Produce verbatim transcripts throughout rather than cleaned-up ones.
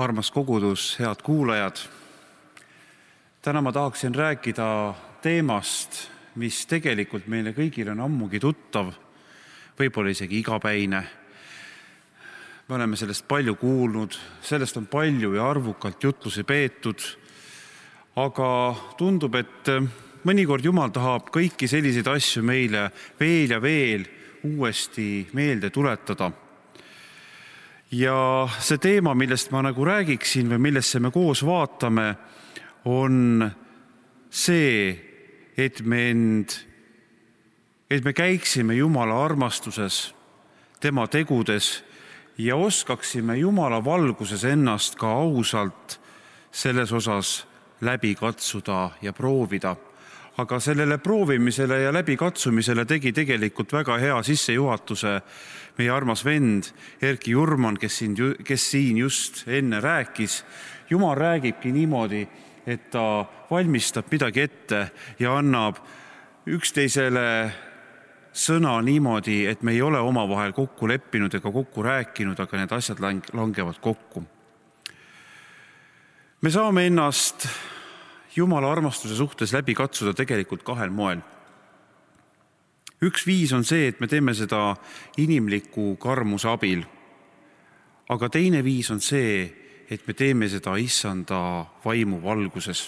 Armas kogudus, head kuulajad. Täna ma tahaksin rääkida teemast, mis tegelikult meile kõigile on ammugi tuttav, võib-olla isegi igapäine. Me oleme sellest palju kuulnud, sellest on palju ja arvukalt jutlusi peetud, aga tundub, et mõnikord Jumal tahab kõiki selliseid asju meile veel ja veel uuesti meelde tuletada. Ja see teema, millest ma nagu räägiksin või millesse me koos vaatame, on see, et me, end, et me käiksime Jumala armastuses, tema tegudes ja oskaksime Jumala valguses ennast ka ausalt selles osas läbi katsuda ja proovida. Aga sellele proovimisele ja läbikatsumisele tegi tegelikult väga hea sissejuhatuse meie armas vend Erki Jurman, kes siin, kes siin just enne rääkis. Jumal räägibki niimoodi, et ta valmistab midagi ette ja annab üksteisele sõna niimoodi, et me ei ole omavahel kokku leppinud ega kokku rääkinud, aga need asjad langevad kokku. Me saame ennast Jumala armastuse suhtes läbi katsuda tegelikult kahel moel. Üks viis on see, et me teeme seda inimliku karmuse abil. Aga teine viis on see, et me teeme seda issanda vaimu valguses.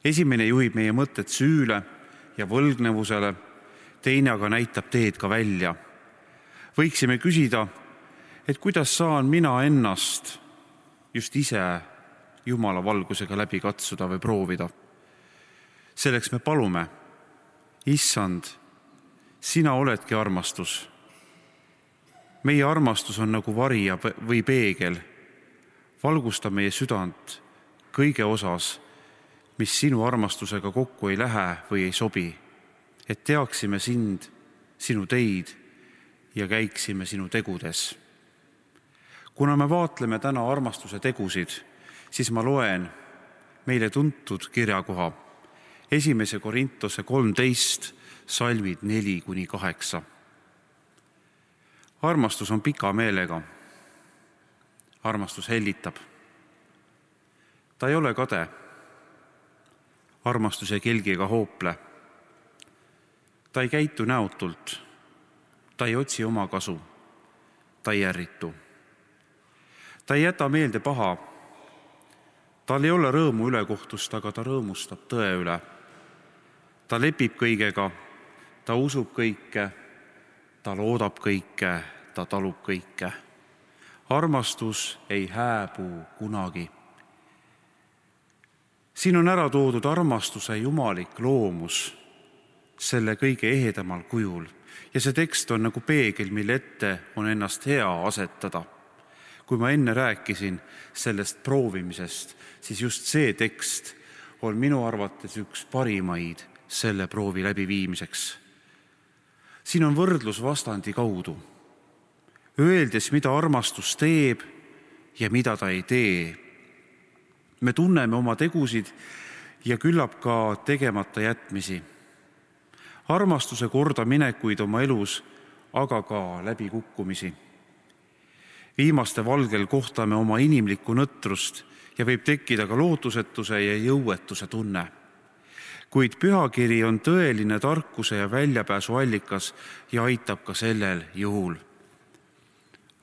Esimene juhib meie mõtted süüle ja võlgnevusele, teine aga näitab teed ka välja. Võiksime küsida, et kuidas saan mina ennast just ise Jumala valgusega läbi katsuda või proovida. Selleks me palume, issand, sina oledki armastus. Meie armastus on nagu varja või peegel. Valgusta meie südant kõige osas, mis sinu armastusega kokku ei lähe või ei sobi, et teaksime sind, sinu teid ja käiksime sinu tegudes. Kuna me vaatleme täna armastuse tegusid, siis ma loen meile tuntud kirjakoha esimese Korintuse kolmteist, salmid neli kuni kaheksa. Armastus on pika meelega. Armastus hellitab. Ta ei ole kade. Armastus ei kelgi ega hoople. Ta ei käitu näotult. Ta ei otsi oma kasu. Ta ei ärritu. Ta ei jäta meelde paha. Tal ei ole rõõmu ülekohtust, aga ta rõõmustab tõe üle. Ta lepib kõigega, ta usub kõike, ta loodab kõike, ta talub kõike. Armastus ei hääbu kunagi. Siin on ära toodud armastuse jumalik loomus selle kõige ehedamal kujul. Ja see tekst on nagu peegel, mille ette on ennast hea asetada. Kui ma enne rääkisin sellest proovimisest, siis just see tekst on minu arvates üks parimaid selle proovi läbiviimiseks. Siin on võrdlus vastandi kaudu, öeldes, mida armastus teeb ja mida ta ei tee. Me tunneme oma tegusid ja küllap ka tegemata jätmisi. Armastuse korda minekuid oma elus, aga ka läbikukkumisi. Viimaste valgel kohtame oma inimlikku nõtrust ja võib tekkida ka lootusetuse ja jõuetuse tunne. Kuid pühakiri on tõeline tarkuse ja väljapääsu allikas ja aitab ka sellel juhul.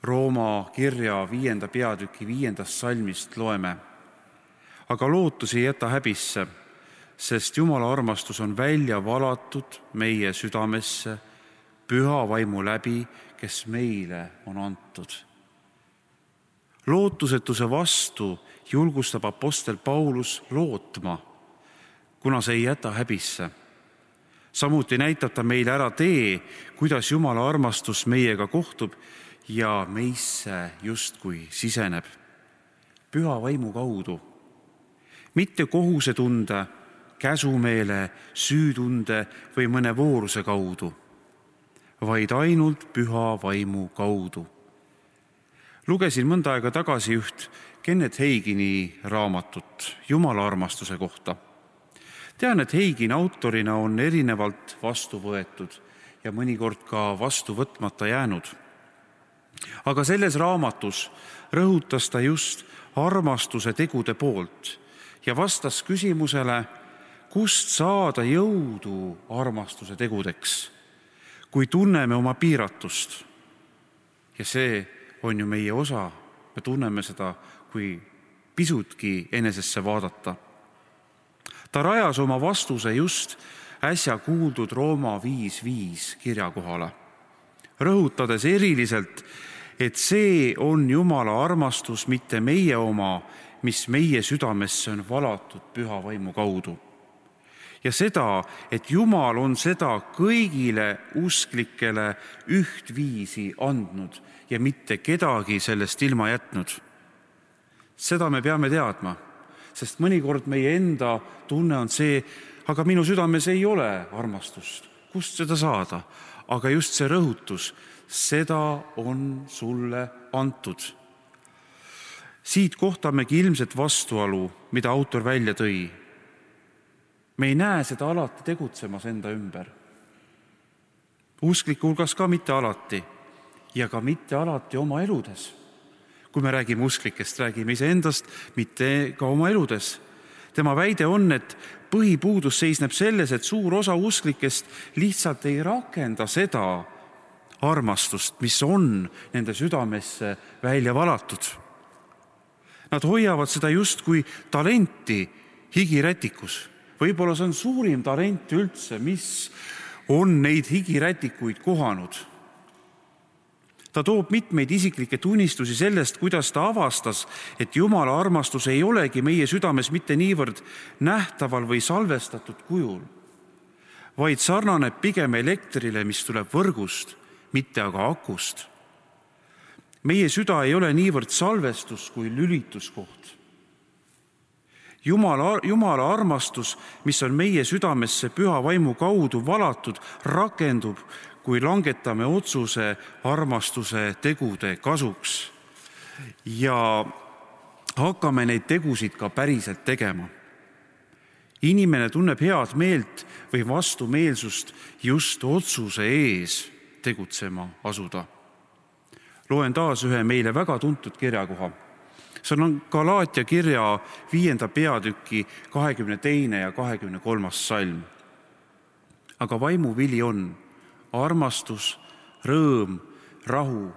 Rooma kirja viienda peatüki viiendast salmist loeme. Aga lootus ei jäta häbisse, sest Jumala armastus on välja valatud meie südamesse püha vaimu läbi, kes meile on antud. Lootusetuse vastu julgustab apostel Paulus lootma, kuna see ei jäta häbisse. Samuti näitab ta meile ära tee, kuidas Jumala armastus meiega kohtub ja meisse justkui siseneb. Püha vaimu kaudu. Mitte kohusetunde, käsumeele, süütunde või mõne vooruse kaudu, vaid ainult püha vaimu kaudu. Lugesin mõnda aega tagasi üht Kenneth Hagini raamatut Jumala armastuse kohta. Tean, et Hagin autorina on erinevalt vastu võetud ja mõnikord ka vastu võtmata jäänud. Aga selles raamatus rõhutas ta just armastuse tegude poolt ja vastas küsimusele, kust saada jõudu armastuse tegudeks, kui tunneme oma piiratust. Ja see on ju meie osa, me tunneme seda, kui pisutki enesesse vaadata. Ta rajas oma vastuse just äsja kuuldud Rooma viis viis kirja kohale, rõhutades eriliselt, et see on Jumala armastus, mitte meie oma, mis meie südamesse on valatud püha vaimu kaudu. Ja seda, et Jumal on seda kõigile usklikele ühtviisi andnud ja mitte kedagi sellest ilma jätnud. Seda me peame teadma, sest mõnikord meie enda tunne on see, aga minu südames ei ole armastust. Kust seda saada? Aga just see rõhutus, seda on sulle antud. Siit kohtamegi ilmselt vastuolu, mida autor välja tõi. Me ei näe seda alati tegutsemas enda ümber. Uskliku hulgas ka mitte alati ja ka mitte alati oma eludes. Kui me räägime usklikest, räägime iseendast, mitte ka oma eludes. Tema väide on, et põhipuudus seisneb selles, et suur osa usklikest lihtsalt ei rakenda seda armastust, mis on nende südamesse välja valatud. Nad hoiavad seda just kui talenti higirätikus. Võib-olla see on suurim talent üldse, mis on neid higirätikuid kohanud. Ta toob mitmeid isiklikke tunnistusi sellest, kuidas ta avastas, et Jumala armastus ei olegi meie südames mitte niivõrd nähtaval või salvestatud kujul, vaid sarnaneb pigem elektrile, mis tuleb võrgust, mitte aga akust. Meie süda ei ole niivõrd salvestus kui lülituskoht. Jumala, Jumala armastus, mis on meie südamesse püha vaimu kaudu valatud, rakendub, kui langetame otsuse armastuse tegude kasuks ja hakkame neid tegusid ka päriselt tegema. Inimene tunneb head meelt või vastumeelsust just otsuse ees tegutsema asuda. Loen taas ühe meile väga tuntud kirjakoha. See on Galaatia kirja viienda peatüki kahekümne teine ja kahekümne kolmas salm. Aga vaimu vili on armastus, rõõm, rahu,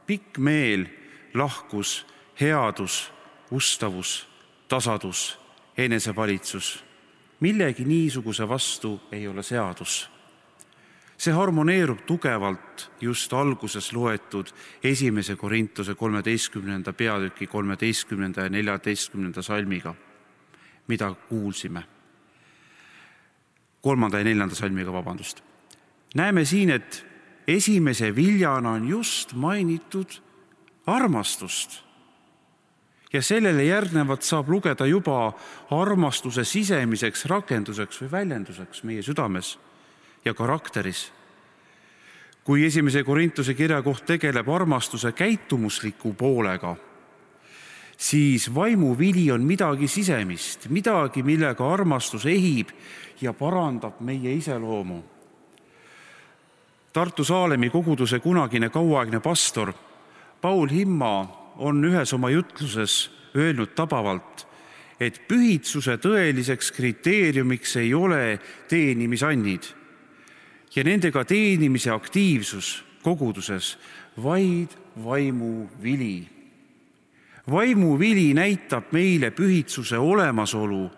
pikk meel, lahkus, headus, ustavus, tasadus, enesevalitsus. Millegi niisuguse vastu ei ole seadus. See harmoneerub tugevalt just alguses loetud esimese Korintuse kolmeteistkümnenda peatüki kolmeteistkümnenda ja neljateistkümnenda salmiga, mida kuulsime. Kolmanda ja neljanda salmiga, vabandust. Näeme siin, et esimese viljana on just mainitud armastust. Ja sellele järgnevalt saab lugeda juba armastuse sisemiseks rakenduseks või väljenduseks meie südames ja karakteris. Kui esimese Korintuse kirja koht tegeleb armastuse käitumusliku poolega, siis vaimu vili on midagi sisemist, midagi, millega armastus ehib ja parandab meie iseloomu. Tartu Saalemi koguduse kunagine kauaaegne pastor Paul Himma on ühes oma jutluses öelnud tabavalt, et pühitsuse tõeliseks kriteeriumiks ei ole teenimisannid ja nendega teenimise aktiivsus koguduses, vaid vaimu vili. Vaimu vili näitab meile pühitsuse olemasolu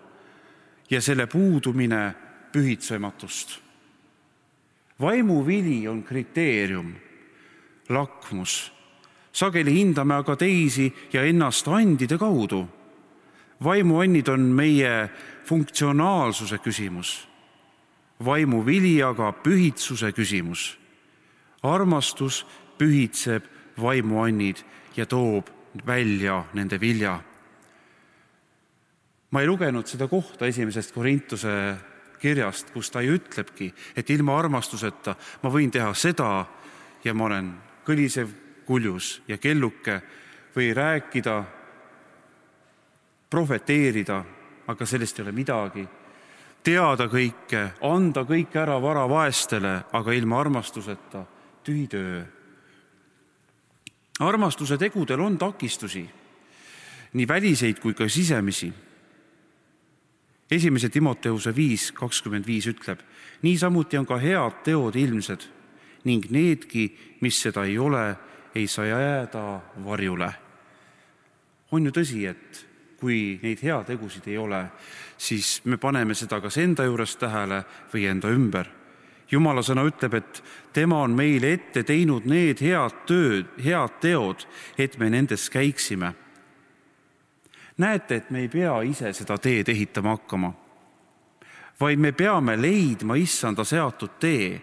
ja selle puudumine pühitsematust. Vaimu vili on kriteerium, lakmus. Sageli hindame aga teisi ja ennast andide kaudu. Vaimuannid on meie funktsionaalsuse küsimus. Vaimu vili aga pühitsuse küsimus. Armastus pühitseb vaimuannid ja toob välja nende vilja. Ma ei lugenud seda kohta esimesest Korintuse kirjast, kus ta ju ütlebki, et ilma armastuseta ma võin teha seda ja ma olen kõlisev kuljus ja kelluke või rääkida, profeteerida, aga sellest ei ole midagi. Teada kõike, anda kõik ära vara vaestele, aga ilma armastuseta tühi töö. Armastuse tegudel on takistusi nii väliseid kui ka sisemisi. Esimese Timoteuse viis kakskümmend viis ütleb, niisamuti on ka head teod ilmsed ning needki, mis seda ei ole, ei saa jääda varjule. On ju tõsi, et kui neid heategusid ei ole, siis me paneme seda kas enda juures tähele või enda ümber. Jumala sõna ütleb, et tema on meile ette teinud need head tööd, head teod, et me nendes käiksime. Näete, et me ei pea ise seda teed ehitama hakkama, vaid me peame leidma issanda seatud tee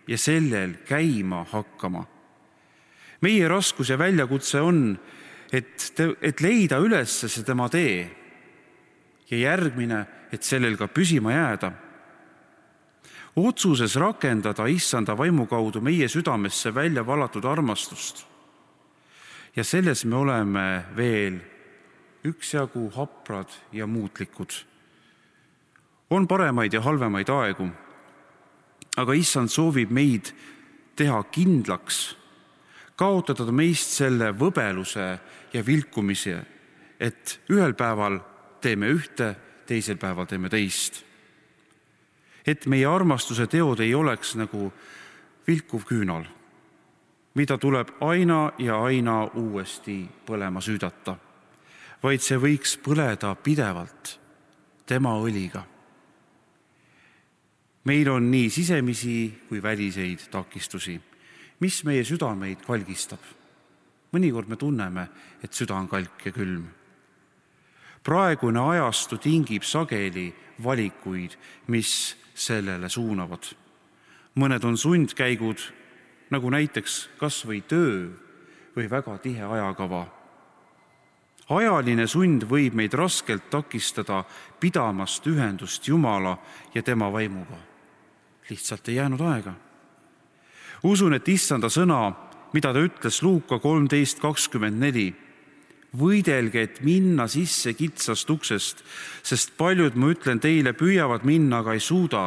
ja sellel käima hakkama. Meie raskus ja väljakutse on, et, et leida üles see tema tee ja järgmine, et sellel ka püsima jääda. Otsuses rakendada issanda vaimu kaudu meie südamesse välja valatud armastust. Ja selles me oleme veel üksjagu haprad ja muutlikud. On paremaid ja halvemaid aegu, aga issand soovib meid teha kindlaks, kaotada meist selle võbeluse ja vilkumise, et ühel päeval teeme ühte, teisel päeval teeme teist. Et meie armastuse teod ei oleks nagu vilkuv küünal, mida tuleb aina ja aina uuesti põlema süüdata, vaid see võiks põleda pidevalt tema õliga. Meil on nii sisemisi kui väliseid takistusi, mis meie südameid kalgistab. Mõnikord me tunneme, et süda on kalk ja külm. Praegune ajastu tingib sageli valikuid, mis sellele suunavad. Mõned on sundkäigud, nagu näiteks kas või töö või väga tihe ajakava. Ajaline sund võib meid raskelt takistada pidamast ühendust Jumala ja tema vaimuga. Lihtsalt ei jäänud aega. Usun, et issanda sõna, mida ta ütles Luuka kolmteist kakskümmend neli, võidelge, et minna sisse kitsast uksest, sest paljud, ma ütlen teile, püüavad minna, aga ei suuda,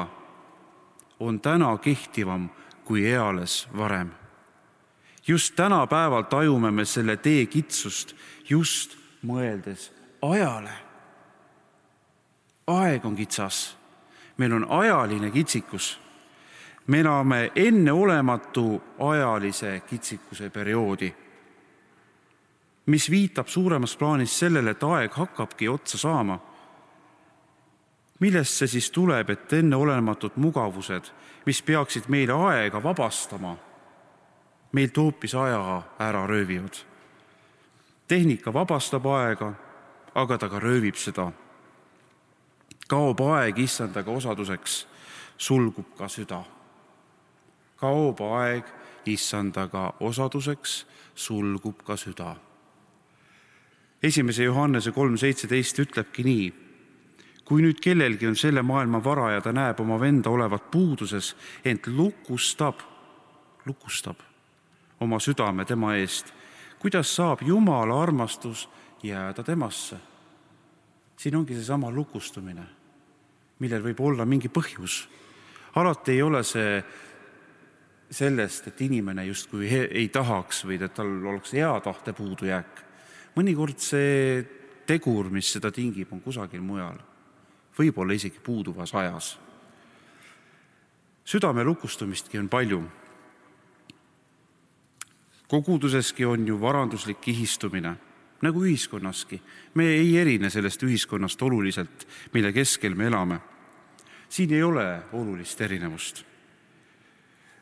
on täna kehtivam kui eales varem. Just tänapäeval tajume me selle tee kitsust, just mõeldes ajale. Aeg on kitsas. Meil on ajaline kitsikus. Me elame enneolematu ajalise kitsikuse perioodi, mis viitab suuremas plaanis sellele, et aeg hakkabki otsa saama. Millest see siis tuleb, et enneolematud mugavused, mis peaksid meile aega vabastama, meilt hoopis aja ära röövivad? Tehnika vabastab aega, aga ta ka röövib seda. Kaob aeg issandaga osaduseks, sulgub ka süda. Kaob aeg issandaga osaduseks, sulgub ka süda. Esimese Johannese kolm seitseteist ütlebki nii, kui nüüd kellelgi on selle maailma vara ja ta näeb oma venda olevat puuduses, ent lukustab, lukustab oma südame tema eest, kuidas saab Jumala armastus jääda temasse? Siin ongi see sama lukustumine, millel võib olla mingi põhjus. Alati ei ole see sellest, et inimene justkui ei tahaks või et tal oleks hea tahte puudujääk. Mõnikord see tegur, mis seda tingib, on kusagil mujal. Võib-olla isegi puuduvas ajas. Südame lukustumistki on palju. Koguduseski on ju varanduslik kihistumine, nagu ühiskonnaski. Me ei erine sellest ühiskonnast oluliselt, mille keskel me elame. Siin ei ole olulist erinevust.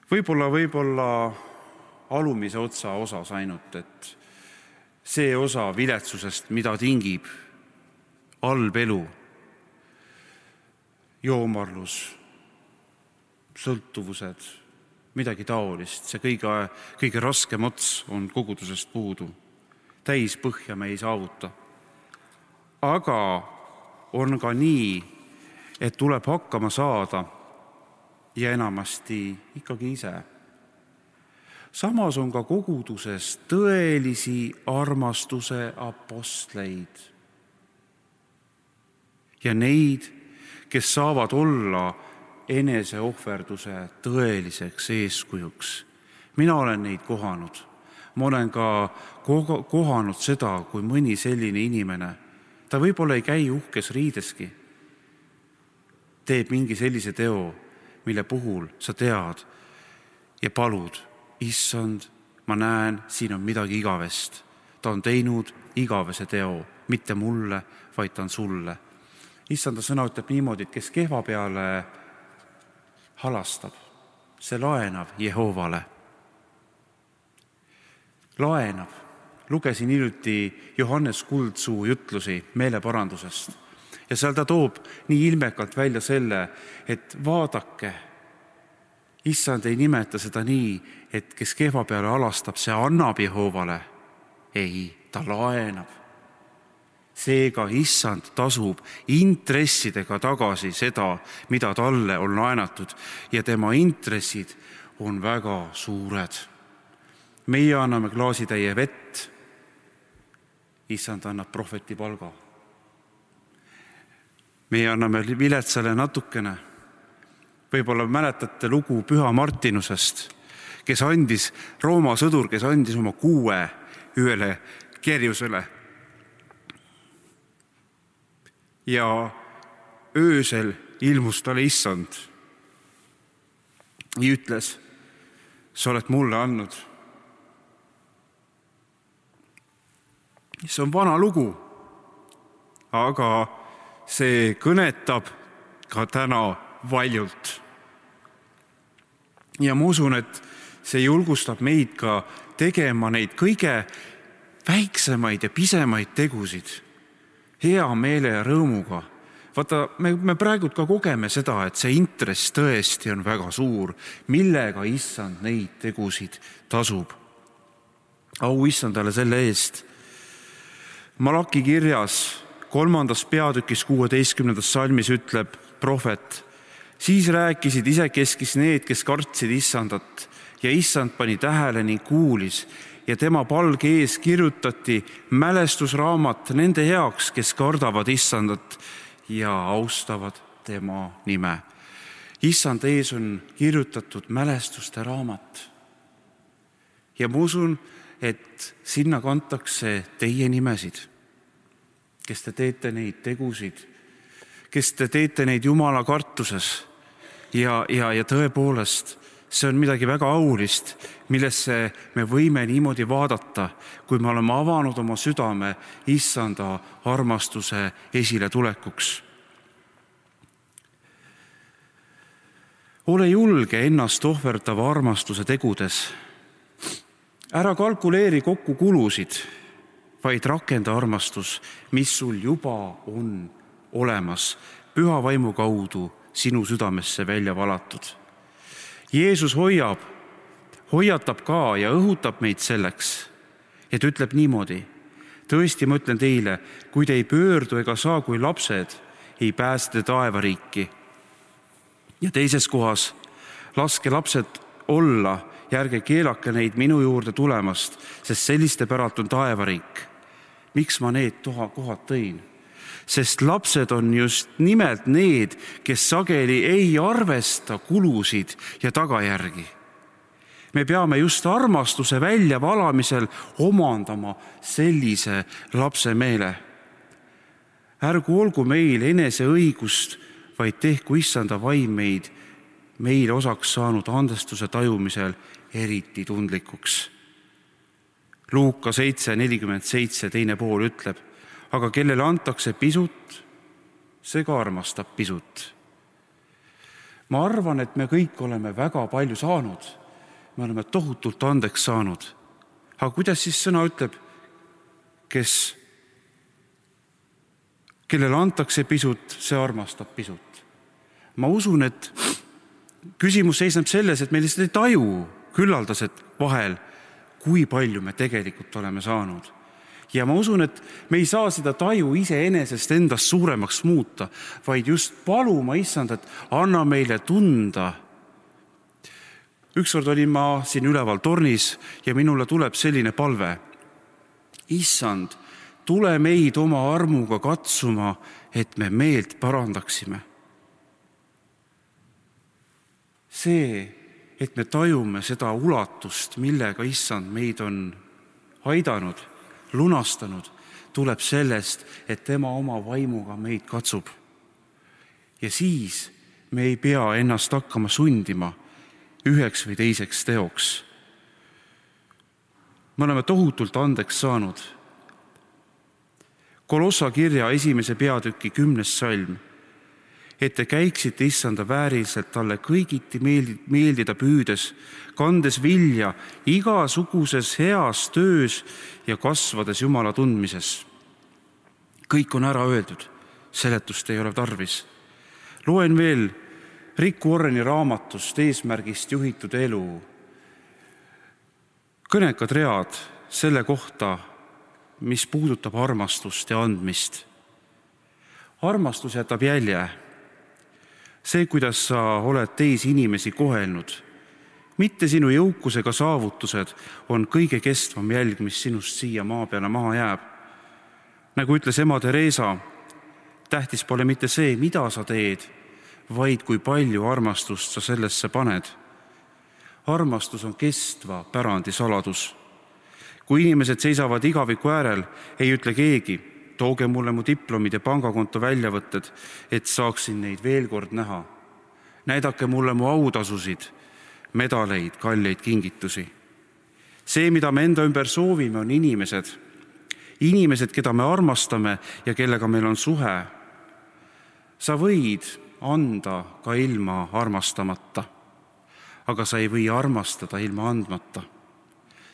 Võib-olla, võib-olla alumise otsa osas ainult, et see osa viletsusest, mida tingib halb elu, joomarlus, sõltuvused, midagi taolist, see kõige, kõige raskem ots on kogudusest puudu. Täis põhja me ei saavuta. Aga on ka nii, et tuleb hakkama saada ja enamasti ikkagi ise. Samas on ka koguduses tõelisi armastuse apostleid ja neid, kes saavad olla eneseohverduse tõeliseks eeskujuks. Mina olen neid kohanud. Ma olen ka kohanud seda, kui mõni selline inimene, ta võib-olla ei käi uhkes riideski, teeb mingi sellise teo, mille puhul sa tead ja palud, issand, ma näen, siin on midagi igavest. Ta on teinud igavese teo, mitte mulle, vaid ta on sulle. Issanda sõna ütleb niimoodi, et kes kehva peale halastab, see laenab Jehovale. Laenab. Lugesin hiljuti Johannes Kuldsuu jutlusi meeleparandusest ja seal ta toob nii ilmekalt välja selle, et vaadake, issand ei nimeta seda nii, et kes kehva peale halastab, see annab Jehovale. Ei, ta laenab. Seega issand tasub intressidega tagasi seda, mida talle on laenatud ja tema intressid on väga suured. Meie anname klaasitäie vett, issand annab prohveti palga. Meie anname viletsale natukene. Võib-olla mäletate lugu Püha Martinusest, kes andis, Rooma sõdur, kes andis oma kuue ühele kerjusele. Ja öösel ilmus talle issand ja ütles, sa oled mulle andnud. See on vana lugu, aga see kõnetab ka täna valjult. Ja ma usun, et see julgustab meid ka tegema neid kõige väiksemaid ja pisemaid tegusid hea meele ja rõõmuga. Vaata, me, me praegu ka kogeme seda, et see intress tõesti on väga suur, millega issand neid tegusid tasub. Au issandale selle eest. Malaki kirjas kolmandas peatükis kuueteistkümnendas salmis ütleb prohvet, siis rääkisid isekeskis need, kes kartsid issandat ja issand pani tähele ning kuulis ja tema palge ees kirjutati mälestusraamat nende heaks, kes kardavad issandat ja austavad tema nime. Issand ees on kirjutatud mälestuste raamat. Ja ma usun, et sinna kantakse teie nimesid, kes te teete neid tegusid, kes te teete neid Jumala kartuses ja, ja, ja tõepoolest see on midagi väga aulist, millesse me võime niimoodi vaadata, kui me oleme avanud oma südame issanda armastuse esile tulekuks. Ole julge ennast ohverdava armastuse tegudes. Ära kalkuleeri kokku kulusid, vaid rakenda armastus, mis sul juba on olemas, püha vaimu kaudu sinu südamesse välja valatud. Jeesus hoiab, hoiatab ka ja õhutab meid selleks, et ütleb niimoodi, tõesti ma ütlen teile, kui te ei pöördu ega saa kui lapsed, ei pääse te taevariiki. Ja teises kohas, laske lapsed olla ja ärge keelake neid minu juurde tulemast, sest selliste päralt on taevariik. Miks ma need toha kohad tõin? Sest lapsed on just nimelt need, kes sageli ei arvesta kulusid ja tagajärgi. Me peame just armastuse välja valamisel omandama sellise lapse meele. Ärgu olgu meil enese õigust, vaid tehku issanda vaim meid meile osaks saanud andestuse tajumisel eriti tundlikuks. Luuka seitse nelikümmend seitse teine pool ütleb, aga kellele antakse pisut, see ka armastab pisut. Ma arvan, et me kõik oleme väga palju saanud. Me oleme tohutult andeks saanud. Aga kuidas siis sõna ütleb, kes, kellele antakse pisut, see armastab pisut. Ma usun, et küsimus seisneb selles, et me lihtsalt ei taju küllaldased vahel, kui palju me tegelikult oleme saanud. Ja ma usun, et me ei saa seda taju iseenesest endast suuremaks muuta, vaid just paluma issand, et anna meile tunda. Ükskord olin ma siin üleval tornis ja minule tuleb selline palve. Issand, tule meid oma armuga katsuma, et me meelt parandaksime. See, et me tajume seda ulatust, millega issand meid on aidanud, lunastanud, tuleb sellest, et tema oma vaimuga meid katsub. Ja siis me ei pea ennast hakkama sundima üheks või teiseks teoks. Me oleme tohutult andeks saanud. Kolossa kirja esimese peatüki kümnes salm, et te käiksite issanda vääriliselt talle kõigiti meeldida püüdes, kandes vilja igasuguses heas töös ja kasvades Jumala tundmises. Kõik on ära öeldud, seletust ei ole tarvis. Loen veel Rick Warreni raamatust Eesmärgist juhitud elu. Kõnekad read selle kohta, mis puudutab armastust ja andmist. Armastus jätab jälje. See, kuidas sa oled teisi inimesi kohelnud. Mitte sinu jõukusega saavutused on kõige kestvam jälg, mis sinust siia maa peale maha jääb. Nagu ütles ema Teresa, tähtis pole mitte see, mida sa teed, vaid kui palju armastust sa sellesse paned. Armastus on kestva pärandi saladus. Kui inimesed seisavad igaviku äärel, ei ütle keegi, tooge mulle mu diplomid ja pangakonto väljavõtted, et saaksin neid veel kord näha. Näidake mulle mu autasusid, medaleid, kalleid kingitusi. See, mida me enda ümber soovime, on inimesed. Inimesed, keda me armastame ja kellega meil on suhe. Sa võid anda ka ilma armastamata, aga sa ei või armastada ilma andmata.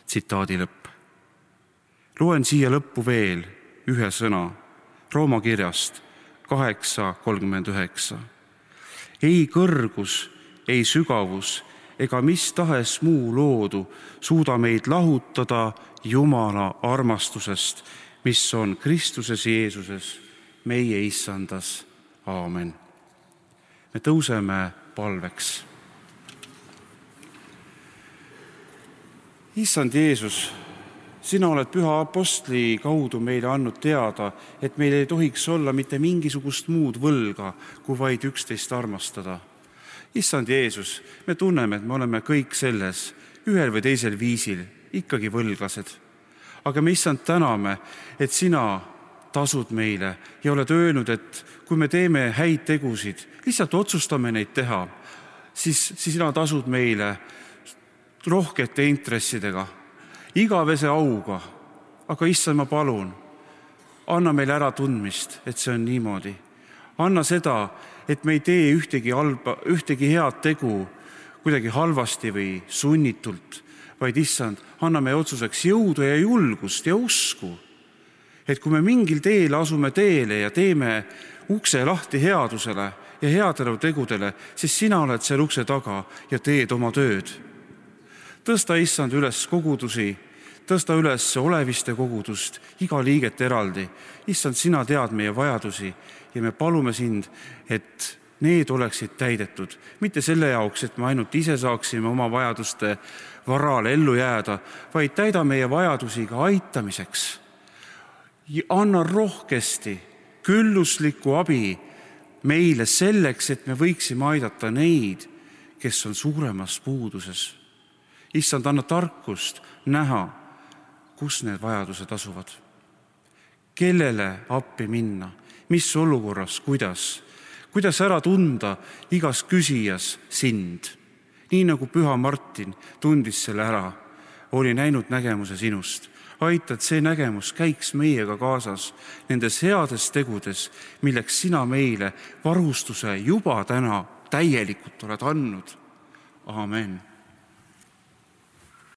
Tsitaadi lõpp. Loen siia lõppu veel ühe sõna Rooma kirjast kaheksa kolmkümmend üheksa. Ei kõrgus, ei sügavus ega mis tahes muu loodu suuda meid lahutada Jumala armastusest, mis on Kristuses Jeesuses, meie issandas. Aamen. Me tõuseme palveks. Issand Jeesus, sina oled püha apostli kaudu meile andnud teada, et meil ei tohiks olla mitte mingisugust muud võlga, kui vaid üksteist armastada. Issand Jeesus, me tunneme, et me oleme kõik selles, ühel või teisel viisil, ikkagi võlglased. Aga me issand täname, et sina tasud meile ja oled öelnud, et kui me teeme häid tegusid, lihtsalt otsustame neid teha, siis, siis sina tasud meile rohkete intressidega, igavese auga. Aga issand, ma palun, anna meile ära tundmist, et see on niimoodi. Anna seda, et me ei tee ühtegi, halba, ühtegi head tegu kuidagi halvasti või sunnitult, vaid issand, anna meie otsuseks jõudu ja julgust ja usku, et kui me mingil teel asume teele ja teeme ukse lahti headusele ja headele tegudele, siis sina oled seal ukse taga ja teed oma tööd. Tõsta issand üles kogudusi, tõsta üles oleviste kogudust, iga liiget eraldi. Issand, sina tead meie vajadusi ja me palume sind, et need oleksid täidetud. Mitte selle jaoks, et me ainult ise saaksime oma vajaduste varal ellu jääda, vaid täida meie vajadusi ka aitamiseks. Anna rohkesti külluslikku abi meile selleks, et me võiksime aidata neid, kes on suuremas puuduses. Issand, anna tarkust näha, kus need vajadused asuvad. Kellele appi minna, mis olukorras, kuidas, kuidas ära tunda igas küsijas sind. Nii nagu Püha Martin tundis selle ära, oli näinud nägemuse sinust. Aita, et see nägemus käiks meiega kaasas nendes heades tegudes, milleks sina meile varustuse juba täna täielikult oled andnud. Aamen.